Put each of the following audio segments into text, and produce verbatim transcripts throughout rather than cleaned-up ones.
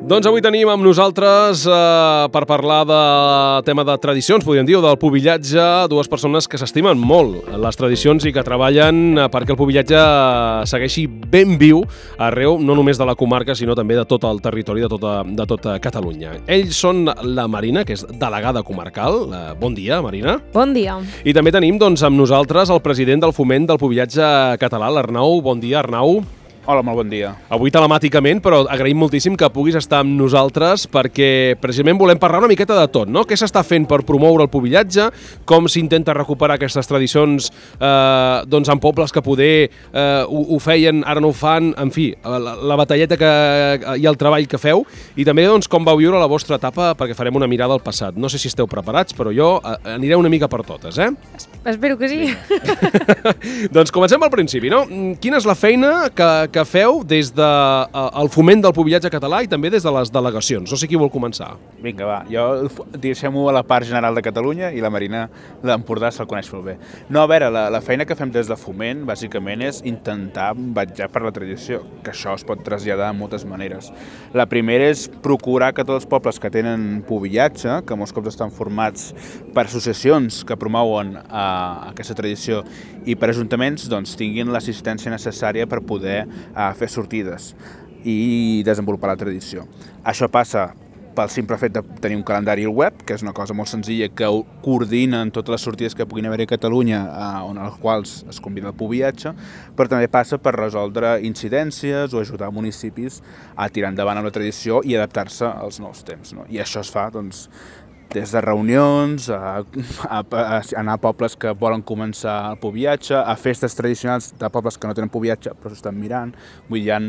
Doncs avui tenim amb nosaltres, eh, per parlar del tema de tradicions, podríem dir, o del pubillatge, dues persones que s'estimen molt les tradicions i que treballen perquè el pubillatge segueixi ben viu arreu, no només de la comarca, sinó també de tot el territori, de tota, de tota Catalunya. Ells són la Marina, que és delegada comarcal. Eh, bon dia, Marina. Bon dia. I també tenim doncs, amb nosaltres el president del Foment del Pubillatge Català, l'Arnau. Bon dia, Arnau. Hola, molt bon dia. Avui telemàticament, però agraïm moltíssim que puguis estar amb nosaltres perquè precisament volem parlar una miqueta de tot, no? Què s'està fent per promoure el pubillatge, com s'intenta recuperar aquestes tradicions eh, doncs en pobles que poder eh, ho, ho feien, ara no ho fan, en fi, la, la batalleta que, i el treball que feu, i també doncs, com vau viure la vostra etapa, perquè farem una mirada al passat. No sé si esteu preparats, però jo eh, aniré una mica per totes, eh? Espero que sí. Doncs comencem al principi, no? Quina és la feina que, que que feu des del de, uh, foment del pubillatge català i també des de les delegacions? No sé qui vol començar. Vinga, va. Jo deixem-ho a la part general de Catalunya i la Marina d'Empordà se'l coneix molt bé. No, a veure, la, la feina que fem des de foment, bàsicament, és intentar vetllar per la tradició, que això es pot traslladar de moltes maneres. La primera és procurar que tots els pobles que tenen pubillatge, que molts cops estan formats per associacions que promouen uh, aquesta tradició i per ajuntaments, doncs tinguin l'assistència necessària per poder a fer sortides i desenvolupar la tradició. Això passa pel simple fet de tenir un calendari al web, que és una cosa molt senzilla que coordinen totes les sortides que puguin haver a Catalunya, on als quals es convida el pubillatge, però també passa per resoldre incidències o ajudar municipis a tirar endavant amb la tradició i adaptar-se als nous temps, no? I això es fa, doncs, des de reunions, a, a, a anar a pobles que volen començar el pubillatge, a festes tradicionals de pobles que no tenen pubillatge però s'estan mirant. Vull dir, hi ha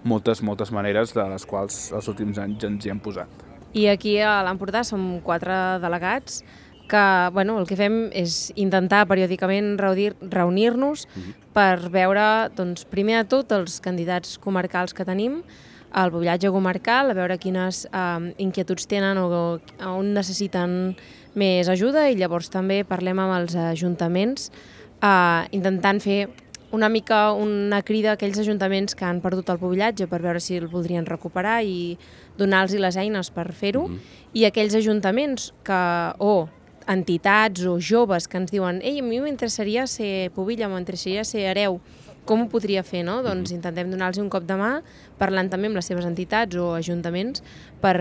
moltes, moltes maneres de les quals els últims anys ens hi hem posat. I aquí a l'Empordà som quatre delegats que bueno, el que fem és intentar periòdicament reunir-nos mm-hmm. per veure, doncs, primer de tot, els candidats comarcals que tenim, el pubillatge comarcal, a veure quines eh, inquietuds tenen o, o on necessiten més ajuda, i llavors també parlem amb els ajuntaments eh, intentant fer una mica una crida a aquells ajuntaments que han perdut el pubillatge per veure si el voldrien recuperar i donar-los les eines per fer-ho, mm-hmm. i aquells ajuntaments que, o entitats o joves que ens diuen «Ei, a mi m'interessaria ser pubilla, m'interessaria ser hereu», com ho podria fer, no? Doncs intentem donar-los un cop de mà, parlant també amb les seves entitats o ajuntaments per,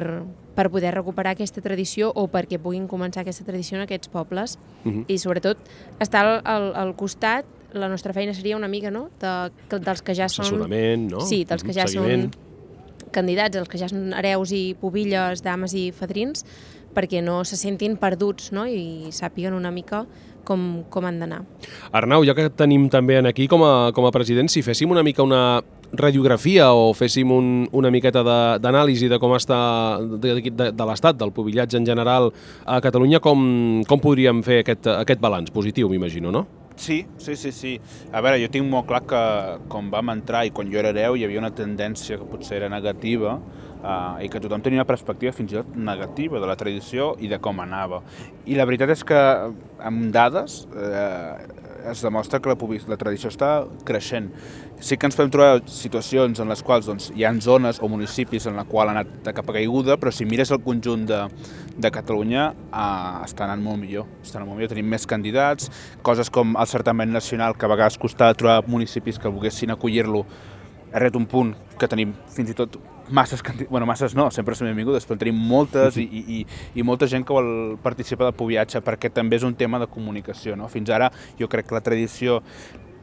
per poder recuperar aquesta tradició o perquè puguin començar aquesta tradició en aquests pobles. Uh-huh. I sobretot estar al, al, al costat, la nostra feina seria una mica, no?, de, dels que ja són... Assessorament, no? Sí, dels que ja Seguiment. són candidats, els que ja són hereus i pubilles, dames i fadrins, perquè no se sentin perduts, no?, i sàpiguen una mica com, com han d'anar. Arnau, ja que tenim també aquí com a, com a president, si féssim una mica una radiografia o féssim un, una miqueta d'anàlisi de, de com està de, de, de l'estat del pubillatge en general a Catalunya, com, com podríem fer aquest, aquest balanç positiu, m'imagino, no? Sí, sí, sí, sí. A veure, jo tinc molt clar que quan vam entrar i quan jo era hereu hi havia una tendència que potser era negativa uh, i que tothom tenia una perspectiva fins i tot negativa de la tradició i de com anava. I la veritat és que amb dades eh, es demostra que la, la tradició està creixent. Sí que ens podem trobar situacions en les quals doncs, hi ha zones o municipis en la qual ha anat de capa caiguda, però si mires el conjunt de, de Catalunya eh, està anant molt millor. Està anant molt millor. Tenim més candidats, coses com el certament nacional, que a vegades costava trobar municipis que volguessin acollir-lo, ha arribat un punt que tenim fins i tot masses, bueno, masses no, sempre són benvingudes, però tenim moltes i, i, i molta gent que vol participar del pubillatge perquè també és un tema de comunicació, no? Fins ara jo crec que la tradició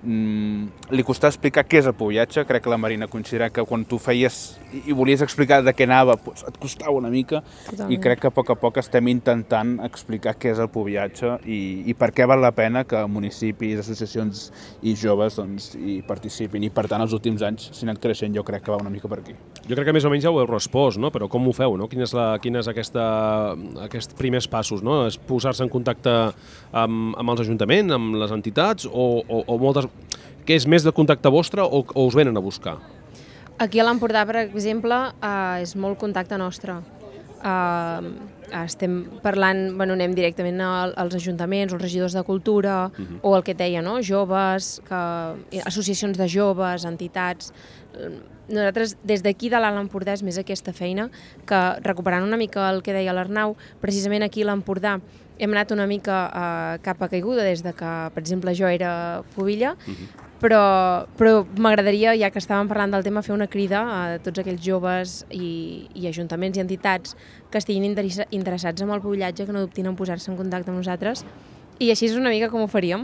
mm, li costava explicar què és el pubillatge. Crec que la Marina considera que quan tu feies i, i volies explicar de què anava, doncs et costava una mica. Totalment. I crec que a poc a poc estem intentant explicar què és el pubillatge i, i per què val la pena que municipis, associacions i joves doncs, hi participin. I per tant, els últims anys, si han anat creixent, jo crec que va una mica per aquí. Jo crec que més o menys ja ho heu respost, no? Però com ho feu, no? Quin és, la, quin és aquesta, aquests primers passos, no? És posar-se en contacte amb, amb els ajuntaments, amb les entitats, o, o, o moltes... Què és més de contacte vostre o, o us venen a buscar? Aquí a l'Empordà, per exemple, eh, és molt contacte nostre. eh, estem parlant, bueno, anem directament als ajuntaments, als regidors de cultura, uh-huh. o el que et deia, no? Joves, que, associacions de joves, entitats. Nosaltres, des d'aquí de l'Alt Empordà, és més aquesta feina, que recuperant una mica el que deia l'Arnau, precisament aquí a l'Empordà hem anat una mica eh, cap a caiguda des de que, per exemple, jo era pubilla, uh-huh. però, però m'agradaria, ja que estàvem parlant del tema, fer una crida a tots aquells joves i, i ajuntaments i entitats que estiguin interessa, interessats en el pubillatge, que no dubtin en posar-se en contacte amb nosaltres, i així és una mica com ho faríem.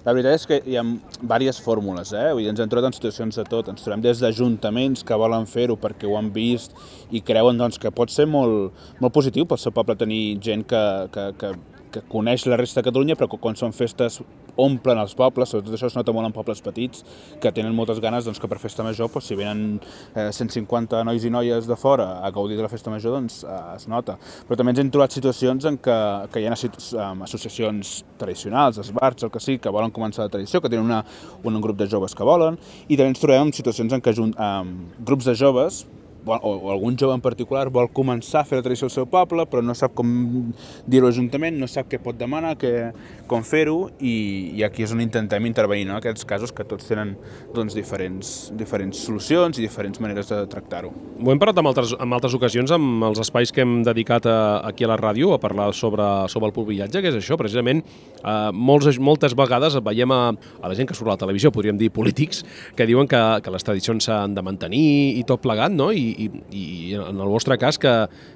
La veritat és que hi ha diverses fórmules, eh? Vull dir, ens hem trobat en situacions de tot. Ens trobem des d'ajuntaments que volen fer-ho perquè ho han vist i creuen doncs, que pot ser molt, molt positiu pel seu poble tenir gent que, que, que, que coneix la resta de Catalunya, però que quan són festes omplen els pobles, sobretot això es nota molt en pobles petits, que tenen moltes ganes doncs, que per festa major, doncs, si venen eh, cent cinquanta nois i noies de fora a gaudir de la festa major, doncs eh, es nota. Però també ens hem trobat situacions en què, que hi ha associacions tradicionals, esbarts, el que sí, que volen començar la tradició, que tenen una, un grup de joves que volen, i també ens trobem en situacions en què eh, grups de joves o, o algun jove en particular vol començar a fer la tradició al seu poble, però no sap com dir-ho a l'Ajuntament, no sap què pot demanar, que, com fer-ho, i, i aquí és on intentem intervenir, no? En aquests casos que tots tenen doncs, diferents, diferents solucions i diferents maneres de tractar-ho. Ho hem parlat en altres, en altres ocasions, amb els espais que hem dedicat a, aquí a la ràdio a parlar sobre, sobre el pubillatge, que és això, precisament, eh, molts, moltes vegades veiem a, a la gent que surt a la televisió, podríem dir polítics, que diuen que, que les tradicions s'han de mantenir i tot plegat, no? I, i, i en el vostre cas que,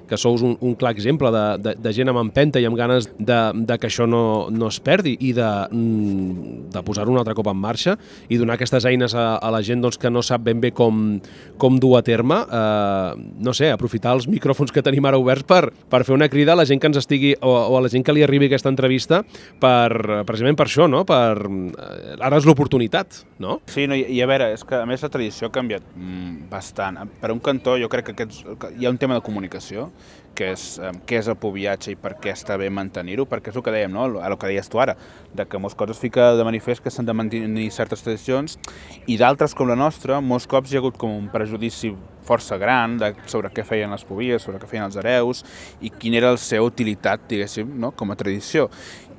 que sous un, un clar exemple de, de, de gent amb empenta i amb ganes de, de que això no, no es perdi i de, de posar-ho un altre cop en marxa i donar aquestes eines a, a la gent doncs, que no sap ben bé com, com dur a terme, eh, no sé, aprofitar els micròfons que tenim ara oberts per, per fer una crida a la gent que ens estigui o, o a la gent que li arribi aquesta entrevista per, precisament per això, no? Per, ara és l'oportunitat, no? Sí, no, i, i a veure, és que a més la tradició ha canviat mm, bastant. Per un cantó jo crec que aquests, hi ha un tema de comunicació, que és eh, què és el pubillatge i per què està bé mantenir-ho, perquè és el que dèiem, no? El que deies tu ara, de que molts cops es fica de manifest que s'han de mantenir certes tradicions i d'altres com la nostra, molts cops hi ha hagut com un prejudici força gran de, sobre què feien les pubilles, sobre què feien els hereus i quina era la seva utilitat, diguéssim, no? Com a tradició.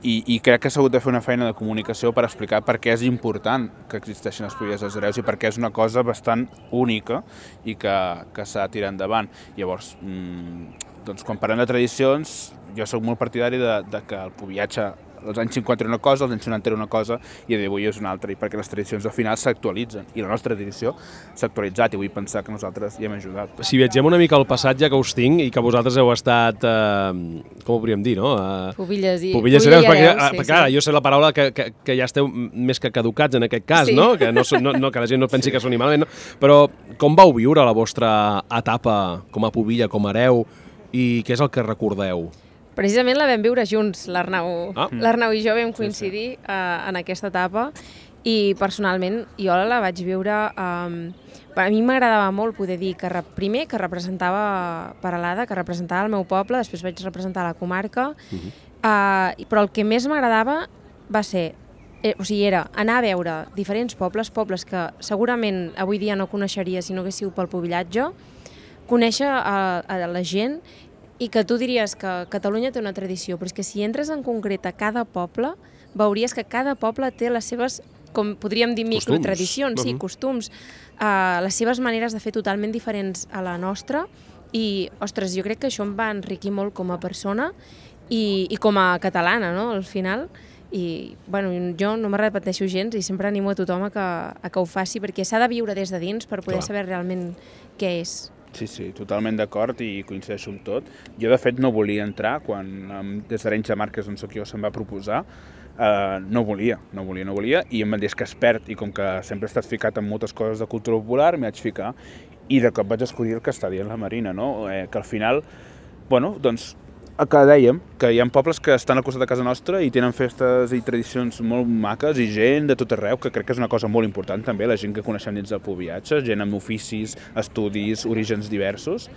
I, i crec que s'ha hagut de fer una feina de comunicació per explicar per què és important que existeixin les pubilles dels hereus i per què és una cosa bastant única i que, que s'ha de tirar endavant. Llavors, mmm, doncs, quan parlem de tradicions, jo soc molt partidari de, de que el pubillatge als anys cinquanta era una cosa, als anys noranta era una cosa i a dia d'avui és una altra, i perquè les tradicions al final s'actualitzen i la nostra tradició s'ha actualitzat i vull pensar que nosaltres hi hem ajudat. Si viatgem una mica al passat, ja que us tinc i que vosaltres heu estat, eh, com ho podríem dir, no? Eh, Pubilles i Pubilles hereus, perquè, hereus, sí, perquè ara, sí. jo sé la paraula que, que, que ja esteu més que caducats en aquest cas, sí. no? Que, no, no, no? Que la gent no pensi que soni malament, no? Però com vau viure la vostra etapa com a pubilla, com a hereu, i què és el que recordeu? Precisament la vam viure junts, l'Arnau ah. l'Arnau i jo vam coincidir sí, sí. Uh, en aquesta etapa i personalment jo la vaig viure, um, a mi m'agradava molt poder dir que primer que representava Peralada, que representava el meu poble, després vaig representar la comarca, uh-huh. uh, però el que més m'agradava va ser, eh, o sigui, era anar a veure diferents pobles, pobles que segurament avui dia no coneixeria si no hagués sigut pel pubillatge, conèixer a, a la gent i que tu diries que Catalunya té una tradició, però és que si entres en concret a cada poble, veuries que cada poble té les seves, com podríem dir, microtradicions, uh-huh. sí, costums, uh, les seves maneres de fer totalment diferents a la nostra i, ostres, jo crec que això em va enriquir molt com a persona i, i com a catalana, no?, al final. I, bueno, jo no me repeteixo gens i sempre animo a tothom a que, a que ho faci, perquè s'ha de viure des de dins per poder Clar. Saber realment què és. Sí, sí, totalment d'acord i coincideixo amb tot. Jo, de fet, no volia entrar quan des d'Arenys de Mar, que és on soc jo, se'm va proposar. Uh, no volia, no volia, no volia, i em van dir que es perd, i com que sempre he estat ficat en moltes coses de cultura popular, m'hi vaig ficar, i de cop vaig escollir el que està dient la Marina, no? Eh, que al final, bueno, doncs, el que dèiem, que hi ha pobles que estan al costat de casa nostra i tenen festes i tradicions molt maques i gent de tot arreu, que crec que és una cosa molt important també, la gent que coneixem dins del pubillatge, gent amb oficis, estudis, orígens diversos,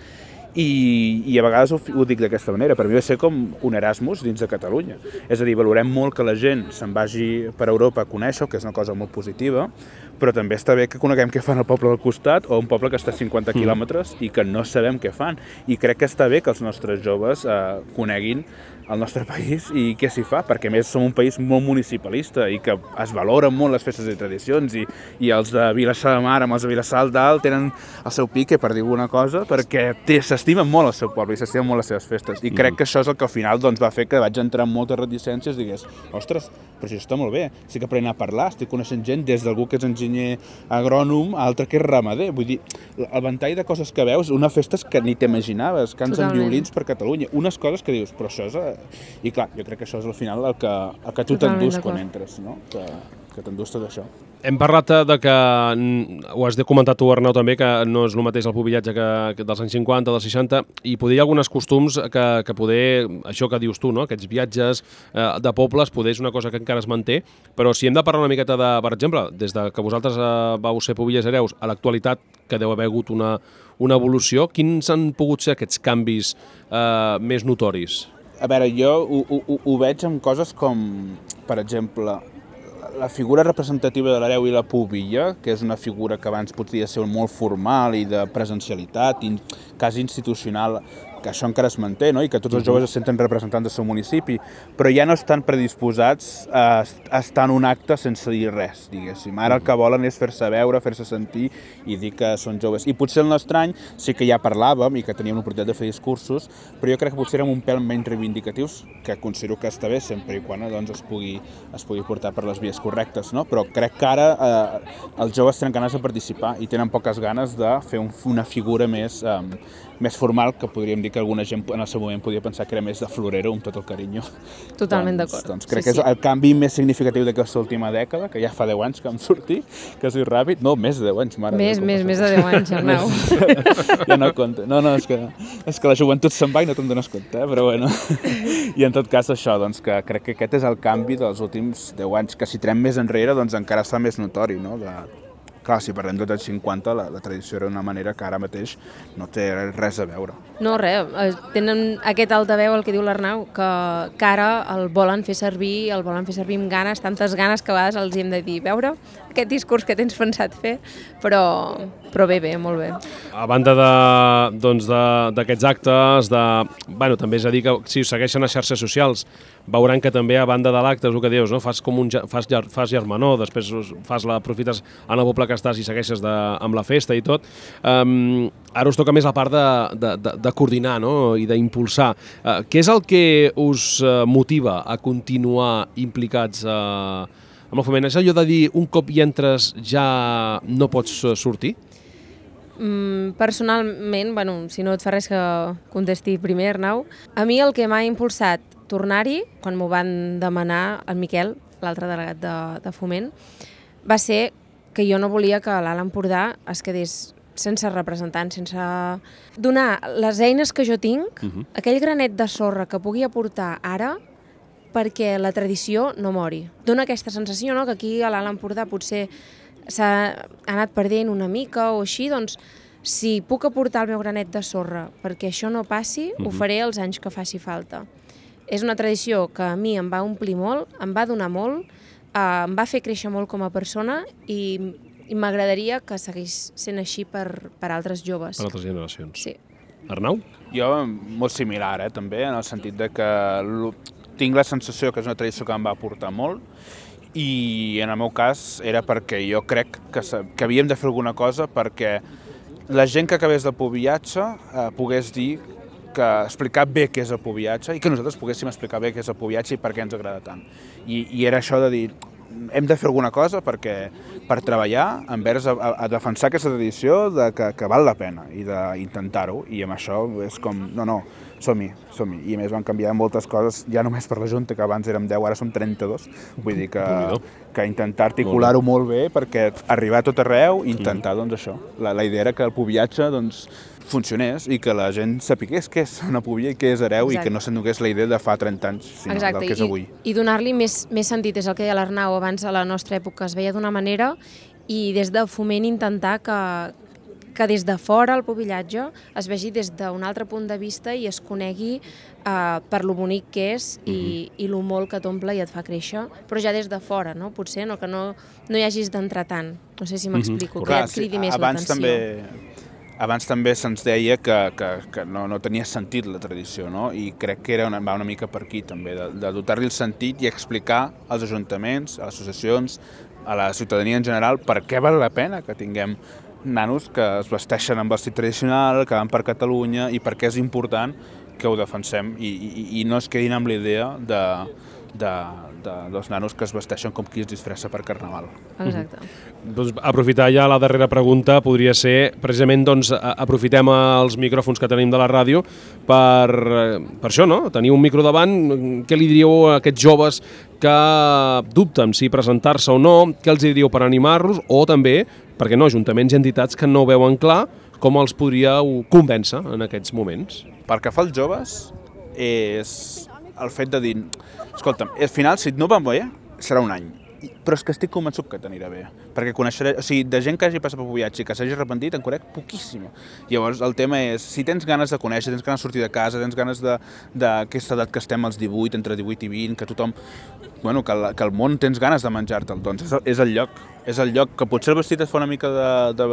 I, i a vegades ho, ho dic d'aquesta manera, per mi va ser com un Erasmus dins de Catalunya. És a dir, valorem molt que la gent se'n vagi per Europa a conèixer, que és una cosa molt positiva, però també està bé que coneguem què fan al poble del costat o un poble que està a cinquanta quilòmetres i que no sabem què fan. I crec que està bé que els nostres joves eh, coneguin el nostre país i què s'hi fa, perquè a més som un país molt municipalista i que es valoren molt les festes i tradicions i, i els de Vilassar de Mar amb els de Vilassar Dalt tenen el seu pique, per dir alguna cosa, perquè s'estimen molt el seu poble i s'estimen molt les seves festes. I crec que això és el que al final doncs, va fer que vaig entrar en moltes reticències i digués, ostres, però això està molt bé, estic aprenent a parlar, estic coneixent gent des d'algú que és enginyer agrònom a altre que és ramader. Vull dir, el ventall de coses que veus, una festes que ni t'imaginaves, cants amb violins per Catalunya, unes coses que dius, però això és... I clar, jo crec que això és al final el que, el que tu t'endús quan entres, no? Que, que t'endús tot això. Hem parlat de que, ho has comentat tu, Arnau, també, que no és el mateix el pubillatge que, que dels anys cinquanta, dels seixanta, i poder hi ha alguns costums que, que poder, això que dius tu, no? Aquests viatges eh, de pobles, poder és una cosa que encara es manté, però si hem de parlar una miqueta de, per exemple, des de que vosaltres eh, vau ser pubillers hereus a l'actualitat, que deu haver hagut una, una evolució, quins han pogut ser aquests canvis eh, més notoris? A veure, jo ho, ho, ho veig amb coses com, per exemple, la figura representativa de l'hereu i la pubilla, que és una figura que abans podia ser molt formal i de presencialitat, i quasi institucional, que això encara es manté, no? I que tots els joves es senten representants del seu municipi, però ja no estan predisposats a, a estar en un acte sense dir res, diguéssim. Ara el que volen és fer-se veure, fer-se sentir i dir que són joves. I potser el nostre any sí que ja parlàvem i que teníem l'oportunitat de fer discursos, però jo crec que potser érem un pèl menys reivindicatius, que considero que està bé sempre i quan doncs, es, pugui, es pugui portar per les vies correctes, no? Però crec que ara eh, els joves tenen ganes de participar i tenen poques ganes de fer un, una figura més, eh, més formal, que podríem dir que alguna gent en el seu moment podia pensar que era més de florero, amb tot el carinyo. Totalment doncs, d'acord. Doncs crec sí, que és sí. el canvi més significatiu d'aquesta última dècada, que ja fa deu anys que em sortí, que soy ràpid. No, més de deu anys, mare. Més, més, més de deu anys, Arnau. Ja no compte. No, no, és que, és que la joventut se'n va i no te'n dones compte, eh? Però bueno. I en tot cas això, doncs, que crec que aquest és el canvi dels últims deu anys, que si tirem més enrere, doncs encara està més notori, no? De... Clar, si parlem dels anys cinquanta, la, la tradició era d'una manera que ara mateix no té res a veure. No, res, tenen aquest altaveu, el que diu l'Arnau, que, que ara el volen fer servir, el volen fer servir amb ganes, tantes ganes que a vegades els hi hem de dir, veure aquest discurs que tens pensat fer, però, però bé, bé, molt bé. A banda de, doncs d'aquests actes, de, bueno, també és a dir que si segueixen a xarxes socials, veuran que també a banda de l'acte, és el que dius, no? Fas com un fas, fas germanor, després fas la, aprofites en el poble que estàs i segueixes de, amb la festa i tot. Um, ara us toca més la part de, de, de, de coordinar, no? I d'impulsar. Uh, què és el que us uh, motiva a continuar implicats uh, amb el foment? És allò de dir un cop hi entres ja no pots uh, sortir? Mm, personalment, bueno, si no et fa res que contesti primer, Arnau, a mi el que m'ha impulsat tornar-hi, quan m'ho van demanar el Miquel, l'altre delegat de, de Foment, va ser que jo no volia que l'Alt Empordà es quedés sense representants, sense donar les eines que jo tinc, uh-huh. aquell granet de sorra que pugui aportar ara perquè la tradició no mori. Dóna aquesta sensació, no?, que aquí a l'Alt Empordà potser s'ha anat perdent una mica o així, doncs si puc aportar el meu granet de sorra perquè això no passi, uh-huh. ho faré els anys que faci falta. És una tradició que a mi em va omplir molt, em va donar molt, eh, em va fer créixer molt com a persona i, i m'agradaria que seguís sent així per, per altres joves. Per altres generacions. Sí. Arnau? Jo, molt similar, eh, també, en el sentit de que tinc la sensació que és una tradició que em va aportar molt i en el meu cas era perquè jo crec que, que havíem de fer alguna cosa perquè la gent que acabés del pubillatge eh, pogués dir que explicar bé què és el pubillatge i que nosaltres poguéssim explicar bé què és el pubillatge i per què ens agrada tant. I, i era això de dir, hem de fer alguna cosa perquè, per treballar envers a, a, a defensar aquesta tradició de que, que val la pena i d'intentar-ho. I amb això és com, no, no, som-hi, som-hi. I a més van canviar moltes coses, ja només per la Junta, que abans érem deu, ara som trenta-dos. Vull dir que, que intentar articular-ho molt bé perquè arribar a tot arreu i intentar, doncs, això. La, la idea era que el pubillatge, doncs, funcionés i que la gent sapigués què és una pubilla i què és hereu. Exacte. I que no s'endugués la idea de fa trenta anys, sinó Exacte. Del que és avui. I, i donar-li més, més sentit, és el que deia l'Arnau, abans a la nostra època es veia d'una manera i des de Foment intentar que, que des de fora el pubillatge es vegi des d'un altre punt de vista i es conegui uh, per lo bonic que és i, uh-huh. i lo molt que t'omple i et fa créixer, però ja des de fora, no? Potser no, que no, no hi hagis d'entrar tant. No sé si m'explico, uh-huh. que ja et cridi sí, més l'atenció. També... Abans també se'ns deia que, que, que no, no tenia sentit la tradició, no? I crec que era una, va una mica per aquí també, de, de dotar-li el sentit i explicar als ajuntaments, a les associacions, a la ciutadania en general, per què val la pena que tinguem nanos que es vesteixen amb vestit tradicional, que van per Catalunya, i per què és important que ho defensem i, i, i no es quedin amb la idea de, de, de, dels nanos que es vesteixen com qui es disfressa per Carnaval. Exacte. Mm-hmm. Doncs aprofitar ja la darrera pregunta podria ser, precisament, doncs, aprofitem els micròfons que tenim de la ràdio per, per això, no? Tenir un micro davant, què li diríeu a aquests joves que dubten si presentar-se o no, què els diríeu per animar-los, o també, perquè no, ajuntaments i entitats que no ho veuen clar, com els podríeu convèncer en aquests moments? Pel que fa als joves, és el fet de dir, escolta'm, al final, si no van bé, serà un any, però és que estic convençut que t'anirà bé, perquè coneixeré, o sigui, de gent que hagi passat per Pubillatge i que s'hagi arrepentit, en conec poquíssima. Llavors, el tema és, si tens ganes de conèixer, tens ganes de sortir de casa, tens ganes d'aquesta edat que estem als divuit, entre divuit i vint, que tothom, bueno, que el, que el món tens ganes de menjar-te'l, doncs és, és el lloc. És el lloc que potser el vestit et fa una mica de, de,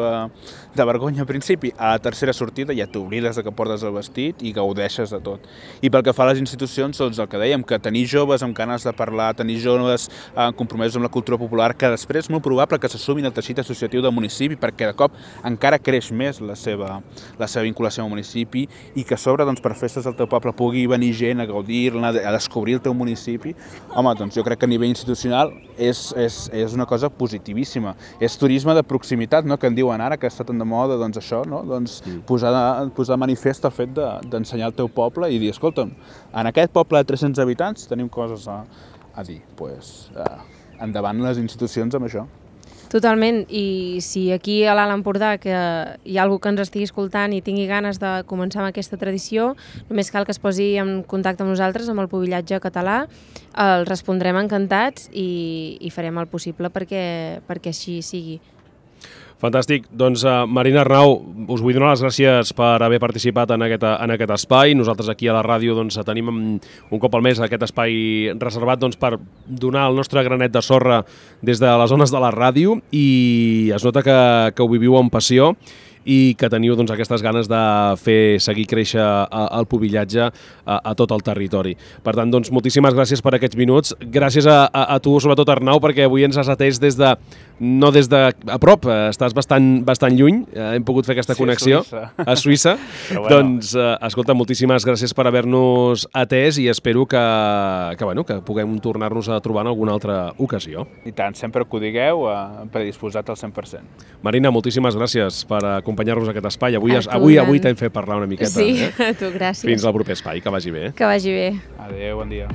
de vergonya al principi, a la tercera sortida ja t'oblides que portes el vestit i gaudeixes de tot. I pel que fa a les institucions, doncs el que dèiem, que tenir joves amb ganes de parlar, tenir joves eh, compromesos amb la cultura popular, que després és molt probable que s'assumin al teixit associatiu del municipi, perquè de cop encara creix més la seva, la seva vinculació amb el municipi, i que a sobre, doncs, per festes del teu poble pugui venir gent a gaudir-ne, a descobrir el teu municipi. Home, doncs jo crec que a nivell institucional és, és, és una cosa positiva. És turisme de proximitat, no? Que en diuen ara, que està tan de moda, doncs això, no? Doncs mm. posar, de, posar de manifest el fet d'ensenyar de, el teu poble i dir, escolta'm, en aquest poble de tres-cents habitants tenim coses a, a dir. Pues, eh, endavant les institucions amb això. Totalment, i si aquí a l'Alt Empordà que hi ha algú que ens estigui escoltant i tingui ganes de començar amb aquesta tradició, només cal que es posi en contacte amb nosaltres, amb el pubillatge català, els respondrem encantats i, i farem el possible perquè, perquè així sigui. Fantàstic. Doncs, uh, Marina Arnau, us vull donar les gràcies per haver participat en aquest, en aquest espai. Nosaltres aquí a la ràdio doncs, tenim un cop al mes aquest espai reservat doncs, per donar el nostre granet de sorra des de les zones de la ràdio, i es nota que, que ho viviu amb passió i que teniu doncs, aquestes ganes de fer seguir créixer el pubillatge a, a tot el territori. Per tant, doncs, moltíssimes gràcies per aquests minuts. Gràcies a, a, a tu, sobretot Arnau, perquè avui ens has atès des de, no des de a prop, estàs bastant, bastant lluny, hem pogut fer aquesta sí, connexió a Suïssa. A Suïssa. Bueno. Doncs, escolta, moltíssimes gràcies per haver-nos atès i espero que, que, bueno, que puguem tornar-nos a trobar en alguna altra ocasió. I tant, sempre que ho digueu, eh, predisposat al cent per cent. Marina, moltíssimes gràcies per acompanyar-nos a aquest espai. Avui, avui, avui t'hem fet parlar una miqueta. Sí, eh? a tu, gràcies. Fins al proper espai, que vagi bé. Que vagi bé. Adéu, bon dia.